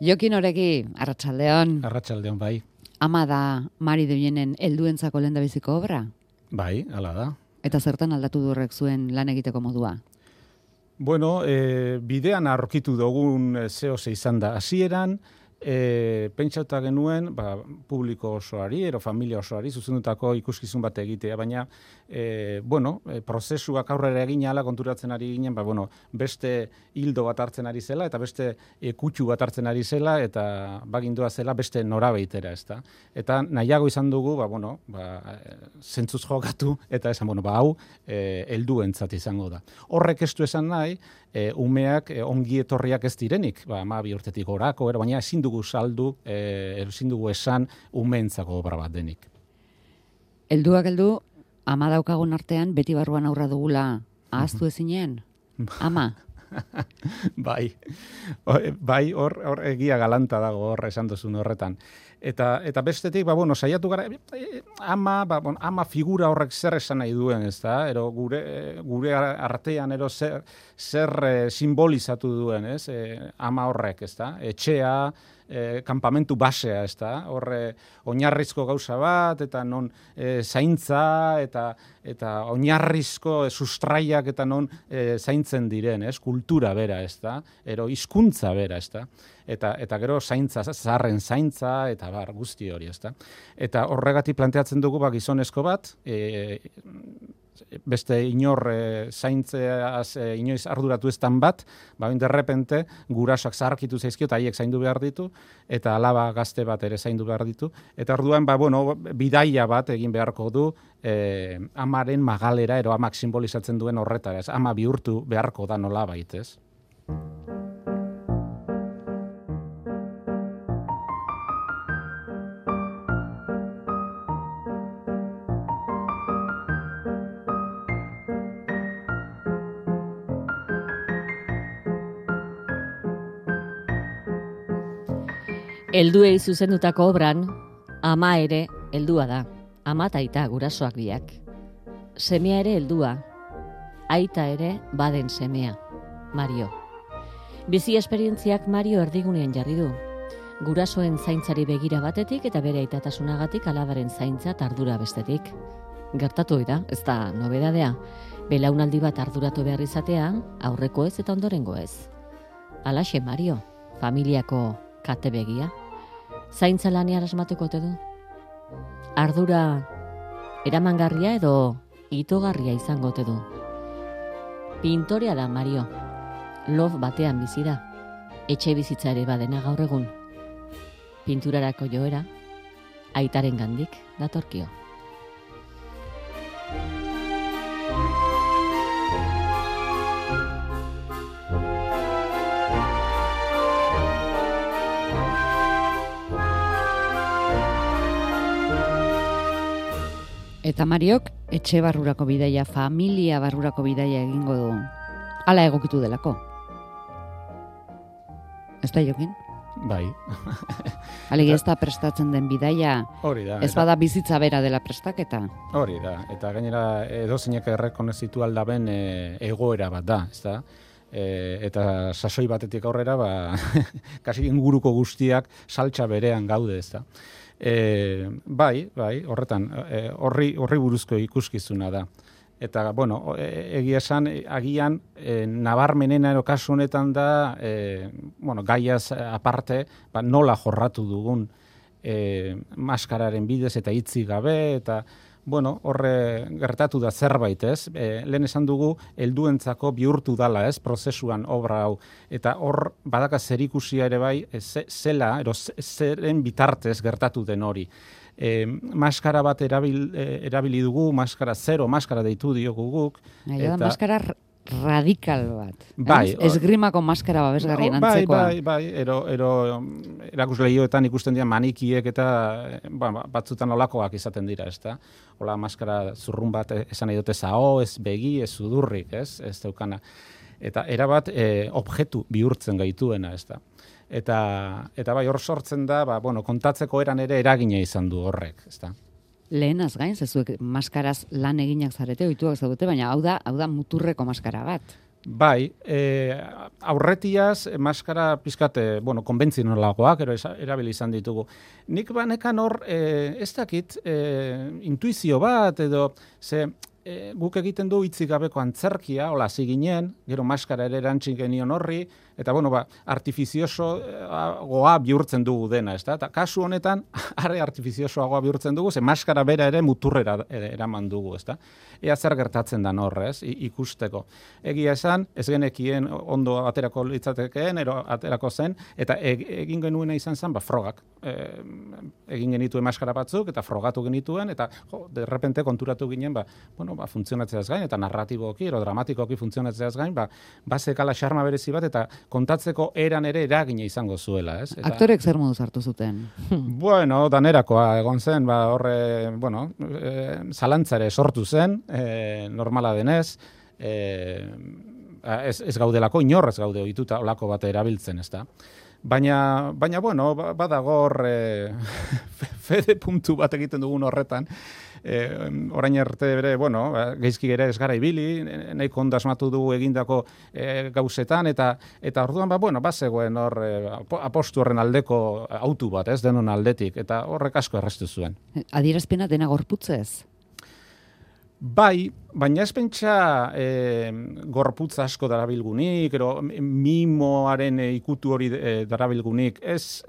Jokin Oregi, arratsaldeon. Arratsaldeon, bai. Ama da Mari Deuenen helduentzako lehendabiziko obra? Bai, hala da. Eta zertan aldatu du horrek zuen lan egiteko modua? Bueno, bidean aurkitu dugun zehose izan da. Hasieran, pentsauta genuen, publiko osoari, ero familia osoari, zuzendutako ikuskizun bat egitea, baina, prozesuak aurrera egin ala konturatzen ari ginen, beste hildo bat hartzen ari zela, eta beste kutxu bat hartzen ari zela, eta bagindua zela beste norabeitera, ezta. Eta nahiago izan dugu, zentzuz jokatu, eta esan, hau, helduentzat izango da. Horrek ez du esan nahi, umeak ongi etorriak ez direnik, 12 urtetik gorako, baina ezin dugu saldu, ezin dugu esan umeentzako obra bat denik. Helduak heldu, ama daukagun artean, beti barruan aurra dugula ahaztu ezinean? Ama? Bai, hor egia galanta dago hor esan duzun horretan. Eta bestetik, saiatu gara, ama figura horrek zer esan nahi duen, ez da? Ero gure artean zer simbolizatu duen, ez? Ama horrek, ez da? Etxea, kanpamentu basea, ez da? Horre oinarrizko gauza bat, eta non zaintza, eta oinarrizko sustraiak, eta non zaintzen diren, ez? Kultura bera, ez da? Ero hizkuntza bera, ez da? Eta gero zaintza, zaharren zaintza, eta guzti hori, ez da? Eta horregatik planteatzen dugu gizonezko bat, beste inor zaintzeaz inoiz arduratu eztan bat, derrepente gurasoak zaharkitu zaizkio eta haiek zaindu behar ditu, eta alaba gazte bat ere zaindu behar ditu, eta orduan bidaia bat egin beharko du amaren magalera, ero amak simbolizatzen duen horretara, ez? Ama bihurtu beharko da nolabait, ez? Helduei zuzendutako obran, ama ere heldua da. Ama eta aita gurasoak biak. Semea ere heldua. Aita ere baden semea. Mario. Bizi esperientziak Mario erdigunean jarri du. Gurasoen zaintzari begira batetik eta bere aitatasunagatik alabaren zaintza eta ardura bestetik. Gertatu da, ez da nobedadea. Belaunaldi bat arduratu behar izatea, aurreko ez eta ondorengo ez. Halaxe Mario, familiako kate begia. Zaintza lanean asmatuko ote du? Ardura eramangarria edo itogarria izango ote du? Pintorea da Mario. Lof batean bizi da. Etxe bizitza ere badena gaur egun. Pinturarako joera, aitaren gandik datorkio. Eta Mariok etxe barrurako bidaia, familia barrurako bidaia egingo du. Hala egokitu delako. Ez da Jokin? Bai. Alegi ez da prestatzen den bidaia, hori da. Ez bada bizitza bera dela prestaketa. Hori da, eta gainera edozeinak errekonozitu aldaben egoera bat da, ez da? Eta sasoi batetik aurrera, kasi inguruko guztiak saltsa berean gaude, ez da? Bai, horretan, horri buruzko ikuskizuna da. Eta, egia esan, agian, nabarmenena kasu honetan da, gaiaz aparte, nola jorratu dugun maskararen bidez eta hitzik gabe, eta, horre gertatu da zerbait, ez? Lehen esan dugu, helduentzako bihurtu dala, ez? Prozesuan obra hau. Eta hor, badaka zerikusia ere bai, zeren bitartez gertatu den hori. Maskara bat erabili dugu, maskara zero, maskara deitu diogu guk. Maskara radikal bat. Bai. Esgrimako maskara babesgarrien antzekoa. Bai. Erakusleioetan ikusten dira manikiek eta batzutan olakoak izaten dira, ez da? Ola maskara zurrun bat esan nahi dute zao, ez begi, ez sudurrik, ez daukana. Eta erabat objektu bihurtzen gaituena, ez da? Eta bai, hor sortzen da, kontatzeko eran ere eragina izan du horrek, ez da? Lehenaz gain, zezuek maskaraz lan eginak zarete, ohituak zaudete, baina hau da muturreko maskara bat. Bai, aurretiaz, maskara pizkate, konbentzionalagoak, erabili izan ditugu. Nik banekan hor, ez dakit, intuizio bat, edo, guk egiten du hitzik gabeko antzerkia, hola, ziginen, gero maskara ere erantzin genion horri, eta, artifiziosoagoa bihurtzen dugu dena, ez da? Eta kasu honetan, are artifiziosoagoa bihurtzen dugu, ze maskara bera ere muturrera eraman dugu, ez da? Ea zer gertatzen dan horrez, ikusteko. Egia esan, ez genekien ondo aterako litzatekeen, ero aterako zen, eta egin genuena izan zen, frogak. Egin genituen maskara batzuk, eta frogatu genituen, eta derrepente konturatu ginen, funtzionatzeaz gain, eta narratiboki, ero dramatikoki funtzionatzeaz gain, bazekala xarma berezi bat, eta kontatzeko eran ere eragina izango zuela, ez? Eta, aktorek zer moduz hartu zuten? Danerakoa egon zen, zalantzare sortu zen, normala denez, ez gaudelako, inorrez gaude ohituta olako bat erabiltzen, ez da? Baina, badago hor fede puntu bat egiten dugun horretan, orain arte bere, geizki ere ez gara ibili, nahiko ondo asmatu dugu egindako gauzetan, eta orduan, bazegoen hor apostu horren aldeko autu bat, ez denon aldetik, eta horrek asko errestu zuen. Adierazpena dena gorputzez? Bai, baina ez pentsa gorputz asko darabilgunik, ero mimoaren ikutu hori darabilgunik, ez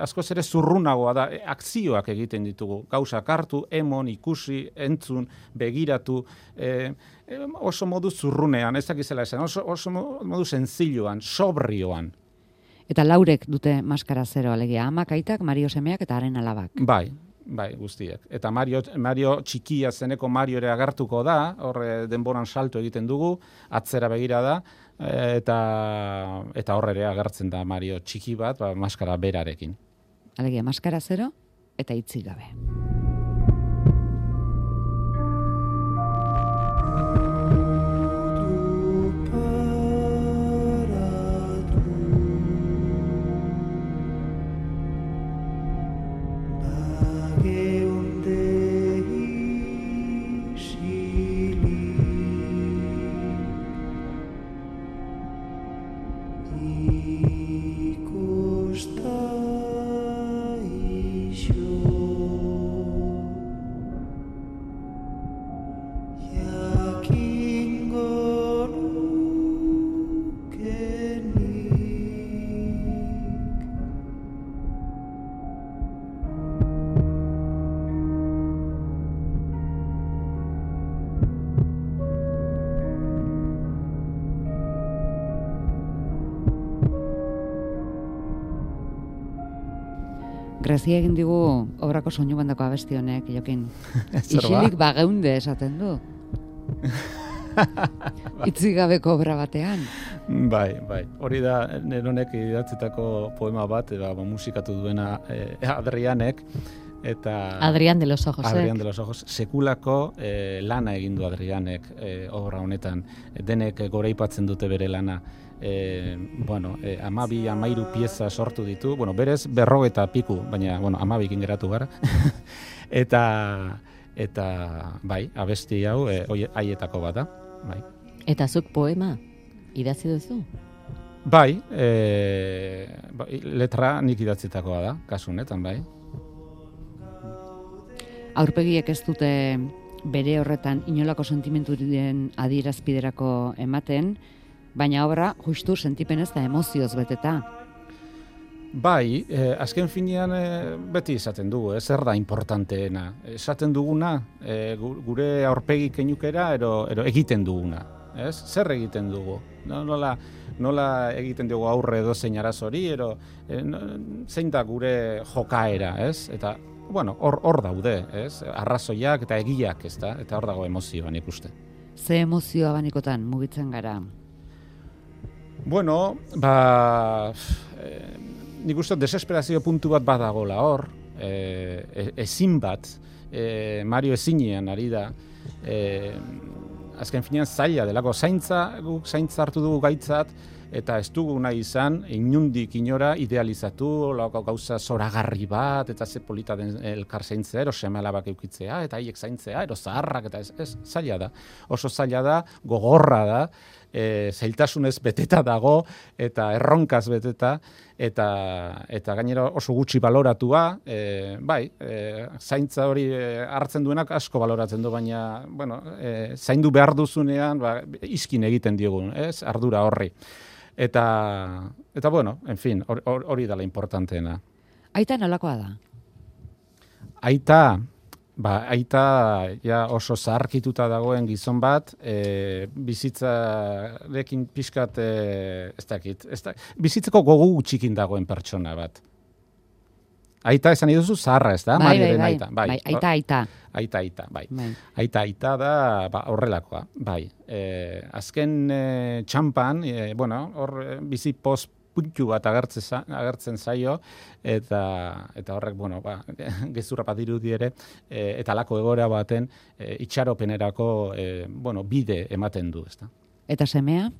askoz ere zurrunagoa da, akzioak egiten ditugu, gauzak hartu, emon, ikusi, entzun, begiratu, oso modu zurrunean, ez dakizela esan, oso modu senzilloan, sobrioan. Eta laurek dute maskara zero, alegia, amak, aitak, Mario semeak eta haren alabak. Bai, guztiek. Eta Mario txikia zeneko Mario ere agertuko da, hor denboran salto egiten dugu, atzera begira da, eta hor ere agertzen da Mario txiki bat, maskara berarekin. Alegia, maskara zero eta hitzik gabe. Grazia egin digu obrako soinu bandako abesti honek, Jokin. Isilik bageunde esaten du. Itzik gabeko obra batean. Bai. Hori da, neronek idatzitako poema bat, musikatu duena Adrianek, eta... Adrián de los Ojos. Adrián de los Ojos. Sekulako lana egin du Adrianek obra honetan. Denek goraipatzen dute bere lana. 12-13 pieza sortu ditu, berez 40 piku, baina 12ekin geratu gara. eta bai, abesti hau haietako bat da, bai. Eta zuk poema idatzi duzu? Bai, letra nik idatzitakoa da, kasu honetan, bai. Aurpegiek ez dute bere horretan inolako sentimenturen adierazpiderako ematen, baina obra justu sentipenez eta emozioz beteta. Bai, azken finean beti esaten dugu, zer da importanteena. Esaten duguna, gure aurpegi keinukera, ero egiten duguna. Ez? Zer egiten dugu? Nola egiten dugu aurre edozein arazori, zein da gure jokaera, ez? Eta, hor daude, ez? Arrazoiak eta egiak, ez da? Eta hor dago emozioan ikuste. Ze emozioa banikotan mugitzen gara? Nik uste desesperazio puntu bat badagola hor, ezin bat, Mario ezinean ari da, azken finean zaila delako, zaintza hartu dugu gaitzat, eta ez dugu nahi izan, inundik inora idealizatu, gauza zoragarri bat, eta ze polita den elkar zaintzea, ero seme alabak eukitzea, eta haiek zaintzea, ero zaharrak, eta ez zaila da. Oso zaila da, gogorra da, zailtasunez beteta dago, eta erronkaz beteta, eta gainera oso gutxi baloratua, zaintza hori hartzen duenak asko baloratzen du, baina, zaindu behar duzunean, iskin egiten diogun, ez? Ardura horri. Eta en fin, hori dela importanteena. Aita nolakoa da? Aita ja oso zaharkituta dagoen gizon bat, bizitzarekin pixkat, bizitzeko gogu gutxikin dagoen pertsona bat. Aita esan iduzu zaharra, ez da? Bai. Aita da horrelakoa, bai. Azken txampan, hor bizi puntu bat agertzen zaio, eta horrek, gezurra bat dirudi ere, eta alako egoera baten itxaropenerako bide ematen du, ezta. Eta semea?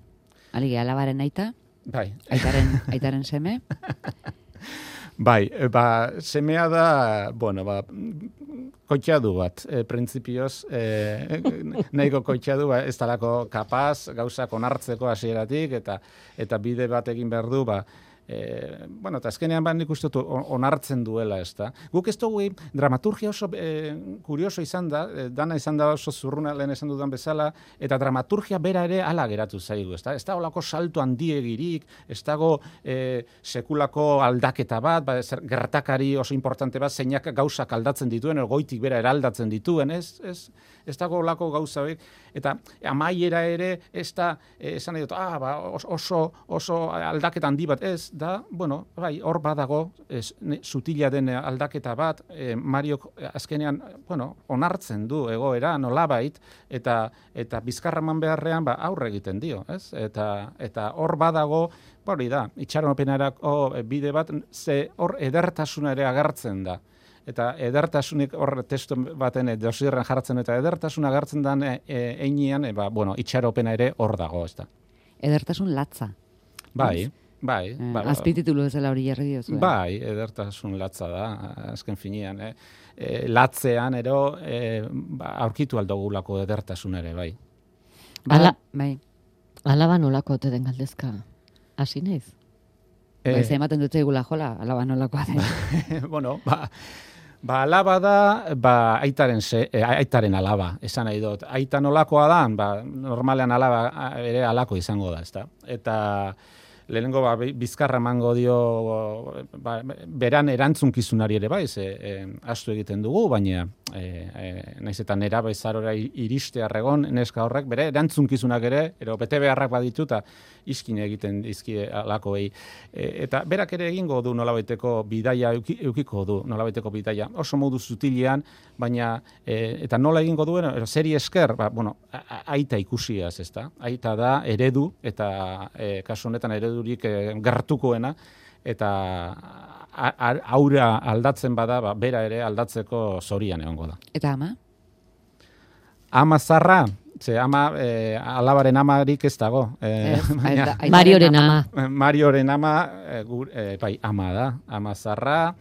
Aligi, alabaren aita? Bai. Aitaren seme? Bai, semea da, koitxadu bat, printzipioz, nahiko koitxadu, ez talako kapaz, gauzak onartzeko hasieratik, eta bide bat egin behar du, eta azkenean nik uste dut onartzen duela, ez da. Guk ez dugu, dramaturgia oso kurioso izan da, dana izan da oso zurruna lehen esan dudan bezala, eta dramaturgia bera ere ala geratu zaigu, ez da. Ez da olako salto handiegirik, ez dago sekulako aldaketa bat, gertakari oso importante bat, zeinak gauzak aldatzen dituen, goitik bera eraldatzen dituen, ez dago olako gauza horiek, eta amaiera ere, ez da, esan nahi dut, oso aldaketa handi bat, ez, da, hor badago, sutila den aldaketa bat, Mariok azkenean, onartzen du egoera, nolabait, eta bizkarraman beharrean, aurre egiten dio, ez? Eta hor badago, hori da, itxaropenerako bide bat, ze hor edertasuna ere agertzen da. Eta edertasunik hor testu baten dosierren jartzen, eta edertasuna agertzen den einean, itxaropena ere hor dago, ez da. Edertasun latza. Bai. Azpititulu ezela hori jarri diozu. Bai, edertasun latza da, azken finean. Latzean ero aurkitu aldogulako edertasun ere, bai. Alaba nolako ote den galdezka, hasi naiz? Ematen dute egula jola, alaba nolakoa den. Alaba da, aitaren alaba, esan nahi dut. Aita nolakoa da, normalean alaba ere alako izango da, ezta? Eta lehenengo bizkarra emango dio beran erantzunkizunari ere bai, astu egiten dugu, baina naiz eta nerabezarora iriste arregon, neska horrek, bere erantzunkizunak ere, bete beharrak badituta, iskin egiten dizkie alakoei. Eta berak ere egingo du nolabaiteko bidaia, eukiko du nolabaiteko bidaia, oso modu zutilean, baina, eta nola egingo duen, zeri esker, aita ikusiaz, ezta? Aita da eredu, eta kasu honetan eredurik gertukoena, eta aurra aldatzen bada, bera ere aldatzeko zorian egongo da. Eta ama? Ama zarra, alabaren amarik ez dago. Marioren ama. Marioren ama, ama da, ama zarra.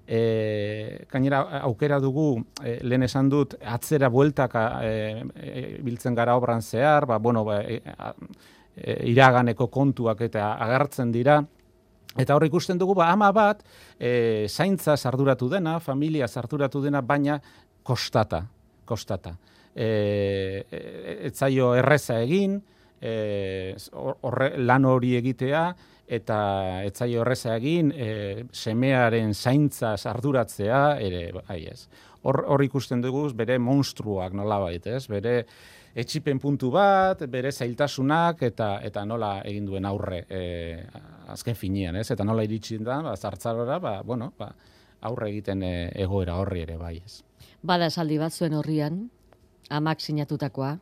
Gainera aukera dugu, lehen esan dut, atzera bueltaka biltzen gara obran zehar, iraganeko kontuak eta agertzen dira. Eta hor ikusten dugu, ama bat, zaintza arduratu dena, familia arduratu dena, baina kostata. Etzaio erreza egin, lan hori egitea, eta etzaio erreza egin, semearen zaintza arduratzea, ere, ez. Hor ikusten dugu, bere monstruak nolabait, ez? Bere etxipen puntu bat, bere zailtasunak, eta nola egin duen aurre azken finean, ez? Eta nola iritsi da, zartzarora, aurre egiten egoera horri ere, bai, ez. Bada esaldi bat zuen horrian, amak sinatutakoa,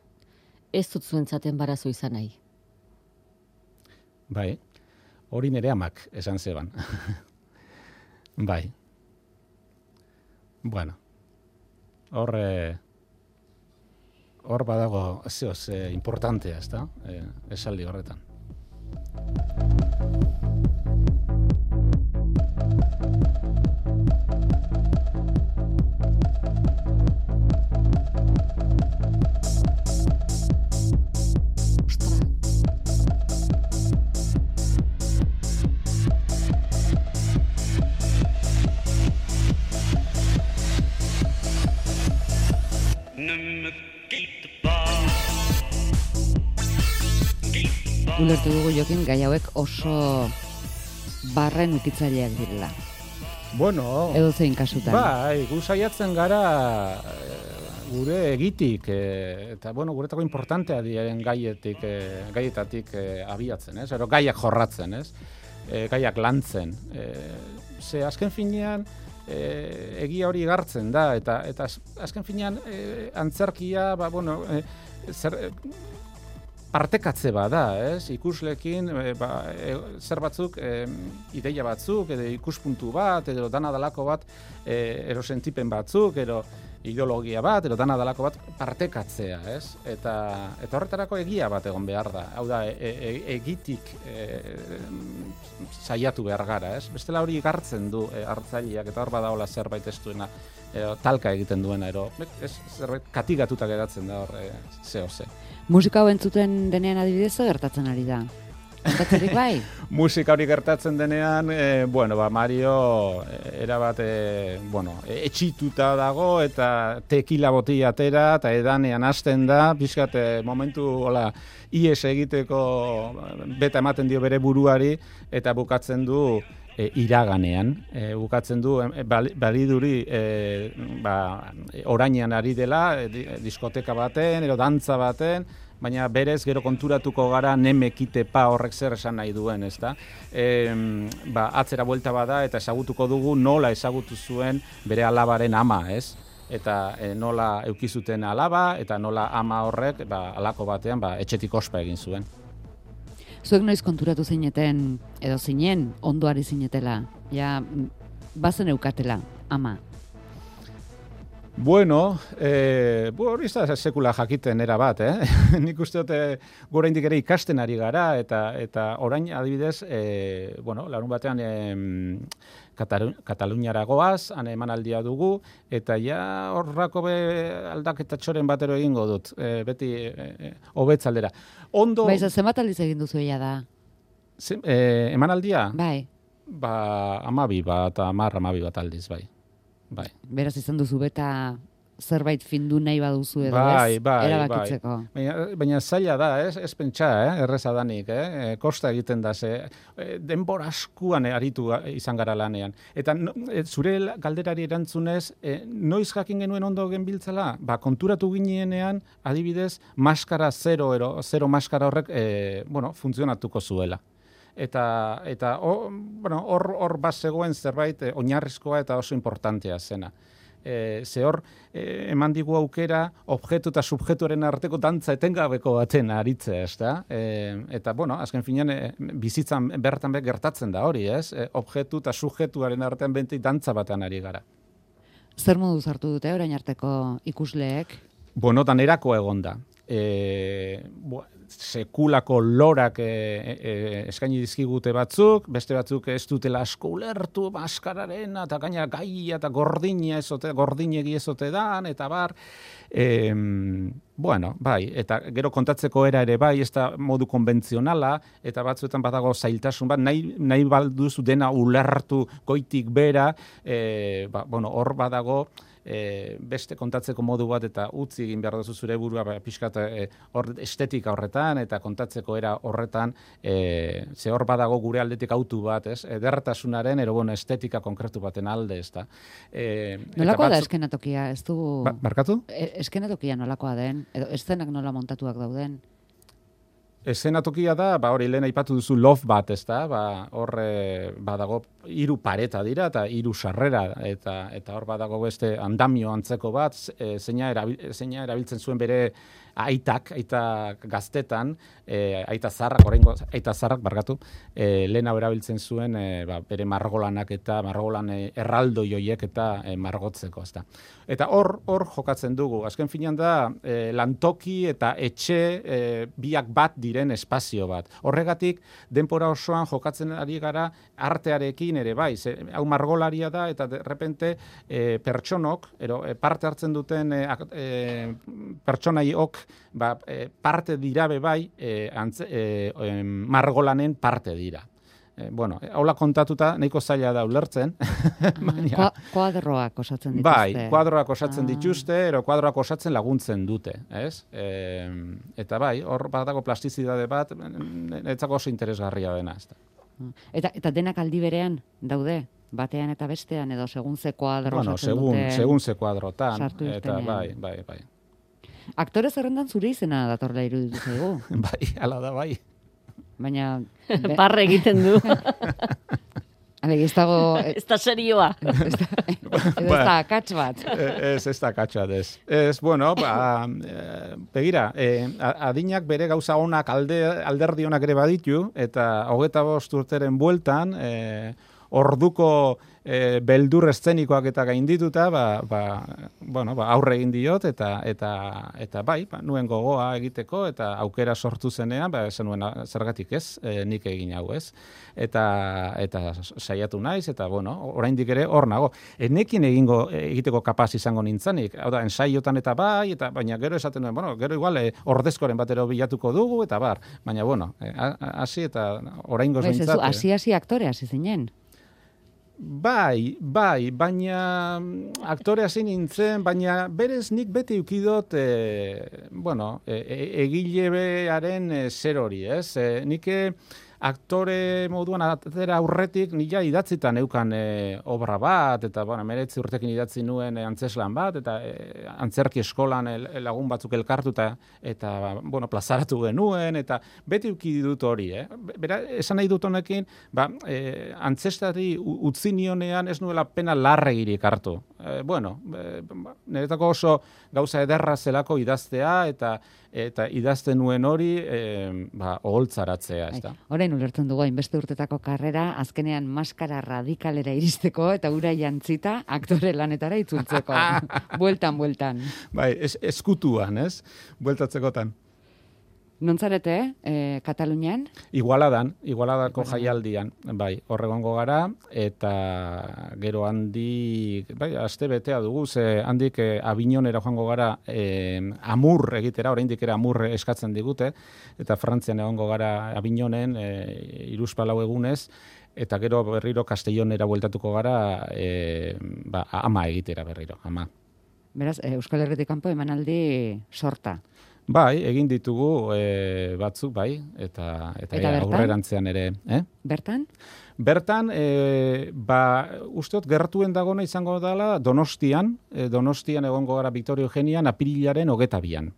ez dut zuentzaten barazo izan nahi. Bai, hori nere amak esan zeban. Bai. Bueno, hor badago, importantea, ez da, esaldi horretan. Ulertu dugu Jokin gai hauek oso barren ukitzaileak direla. Bueno, Edo zein kasutan. bai, gu saiatzen gara gure egitik, eta guretako importantea diren gaietatik abiatzen, ez? Ero gaiak jorratzen, ez? Gaiak lantzen. Ze azken finean egia hori gartzen da, eta azken finean antzerkia, partekatze bada, ez? Ikuslekin zer batzuk, ideia batzuk, edo ikuspuntu bat, edo dana dalako bat, ero sentipen batzuk, edo ideologia bat, edo dana dalako bat partekatzea, ez? Eta horretarako egia bat egon behar da. Hau da, egitik saiatu behar gara, ez? Bestela hori gartzen du hartzaileak, eta hor badagoela zerbait ez duena, talka egiten duena, zerbait katigatuta geratzen da hor zehose. Musika hau entzuten denean adibidez gertatzen ari da. Gertatzerik bai? Musika hori gertatzen denean, Mario erabat, etxituta dago eta tekila botila atera eta edanean hasten da, pixkat momentu ies egiteko beta ematen dio bere buruari eta bukatzen du iraganean, bukatzen du baliduri orainean ari dela, diskoteka baten, edo dantza baten, baina berez gero konturatuko gara nemekite pa horrek zer esan nahi duen, ezta? Atzera buelta bada eta ezagutuko dugu nola ezagutu zuen bere alabaren ama, ez? Eta nola eukizuten alaba eta nola ama horrek alako batean etxetik ospa egin zuen. Zuek noiz konturatu zineten, edo zinen, ondoari zinetela, ja, bazen eukatela, ama? Hori da sekula jakiten era bat, Nik uste dut gora indik ere ikasten ari gara, eta orain adibidez, larun batean Kataluniara goaz, han emanaldia dugu, eta ja horrako aldaketa txoren batero egingo dut, beti hobetzaldera. Baiza, zenbat aldiz egin duzu ella da? Emanaldia? Bai. 12 bat, 10 bat aldiz, bai. Beraz izan duzu beta zerbait findu nahi baduzu edo ez, erabakitzeko. Baina zaila da, ez pentsa, erreza danik, kosta egiten da, denbora askuan aritu izan gara lanean. Eta zure galderari erantzunez, noiz jakin genuen ondo genbiltzala? Konturatu ginenean, adibidez, maskara zero maskara horrek, funtzionatuko zuela. Eta hor bat zegoen zerbait oinarrizkoa eta oso importantea zena. Ze hor, eman digu aukera, objektu eta subjektuaren arteko dantza etengabeko baten aritzea, ez da? Eta, azken finean, bizitzan bertan gertatzen da hori, ez? Objektu eta subjektuaren artean benti dantza batean ari gara. Zer modu hartu dute orain arteko ikusleek? Danerako egon da. Sekulako lorak eskaini dizkigute batzuk, beste batzuk ez dutela asko ulertu maskararen, eta gaina gaia eta gordinegi ezote dan, eta bar. Eta gero kontatzeko era ere bai, ez da modu konbentzionala, eta batzuetan badago zailtasun bat, nahi balduzu dena ulertu goitik bera, hor badago, beste kontatzeko modu bat eta utzi egin behar duzu zure burua pixkat estetika horretan eta kontatzeko era horretan ze hor badago gure aldetik autu bat, ez? Edertasunaren estetika konkretu baten alde, ez da. Nolakoa da eskenatokia? Ez dugu... Barkatu? Eskenatokia nolakoa den? Edo eszenak nola montatuak dauden? Eszenatokia da, hori lehen aipatu duzu loft bat, ez da, hor badago 3 pareta dira eta 3 sarrera, eta hor badago beste andamio antzeko bat, zeina erabiltzen zuen bere aita gaztetan, aita zarrak barkatu, lehen hau erabiltzen zuen bere margolanak eta margolan erraldo joiek eta margotzeko, ezta. Eta hor jokatzen dugu. Azken finean da lantoki eta etxe biak bat diren espazio bat. Horregatik denbora osoan jokatzen ari gara artearekin ere bai. Hau margolaria da eta de repente pertsonok, parte hartzen duten pertsonaiok parte dira be bai margolanen parte dira. Bueno, haula kontatuta nahiko zaila da ulertzen. Kuadroak osatzen dituzte. Bai, kuadroak osatzen dituzte, kuadroak osatzen laguntzen dute, ez? Eta bai, hor badago plastizidade bat, etzako oso interesgarria dena, ez da. Eta denak aldi berean daude, batean eta bestean, edo segun ze kuadro osatzen dute. Segun ze kuadrotan, eta bai. Aktore zerrendan zure izena datorla iruditu zaigu. Bai, hala da, bai. Baina... Barre egiten du. Ez dago... Ez da serioa. Ez da akats bat. Ez da akats bat, ez. Ez, bueno, begira, adinak bere gauza onak alderdi onak ere baditu, eta 25 urteren bueltan, orduko beldur eszenikoak eta gaindituta, aurre egin diot, eta bai, nuen gogoa egiteko, eta aukera sortu zenean, esan nuen zergatik ez, nik egin hau ez. Eta saiatu naiz, eta oraindik ere hor nago. Enekin egiteko kapaz izango nintzanik, hau da, ensaiotan eta bai, baina gero esaten nuen, gero igual ordezkoren batero bilatuko dugu, eta baina hasi eta oraingoz behintzat. Hasi aktore hasi zinen. Bai, baina aktore hasi nintzen, baina berez nik beti ukidot, egilearen zer hori, ez? Nik aktore moduan atera aurretik nila idatzita neukan obra bat, eta 19 urtekin idatzi nuen antzeslan bat, eta antzerki eskolan lagun batzuk elkartu eta plazaratu genuen, eta beti uki dut hori. Bera, esan nahi dut honekin, antzestari utzi nionean ez nuela pena larregirik hartu. Niretako oso gauza ederra zelako idaztea, eta idazten nuen hori oholtzaratzea. Orain ulertzen dugu, hainbeste urtetako karrera, azkenean maskara radikalera iristeko, eta ura jantzita aktore lanetara itzultzeko. Bueltan. Bai, eskutuan, ez? Bueltatzekotan. Nontzarete, Katalunian? Igualadako jaialdian, bai, horregongo gara, eta gero handik, aste betea dugu, handik Avignonera joango gara amur egitera, oraindik ere amur eskatzen digute, eta Frantzian egongo gara Avignonen 3-4 egunez, eta gero berriro Castellonera bueltatuko gara ama egitera berriro, ama. Beraz, Euskal Herritik kanpo emanaldi sorta. Bai, egin ditugu batzuk, bai, eta aurrerantzean ere. Bertan? Bertan, usteot, gertuen dagona izango dela Donostian egongo gara Victoria Eugenian apirilaren 22an.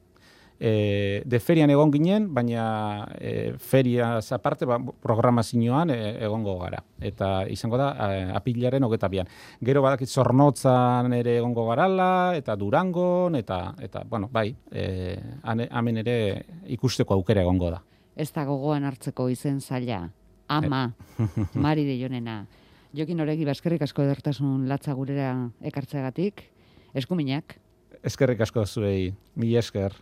De ferian egon ginen, baina feria aparte programazioan egongo gara. Eta izango da apirilaren 22an. Gero badakit Zornotzan ere egongo garala, eta Durangon, eta bai, hemen ere ikusteko aukera egongo da. Ez da gogoan hartzeko izen zaila. Ama, Mari de Jonena. Jokin Oregi, eskerrik asko edertasun latza gurera ekartzegatik. Eskuminak. Eskerrik asko zuei, mila esker.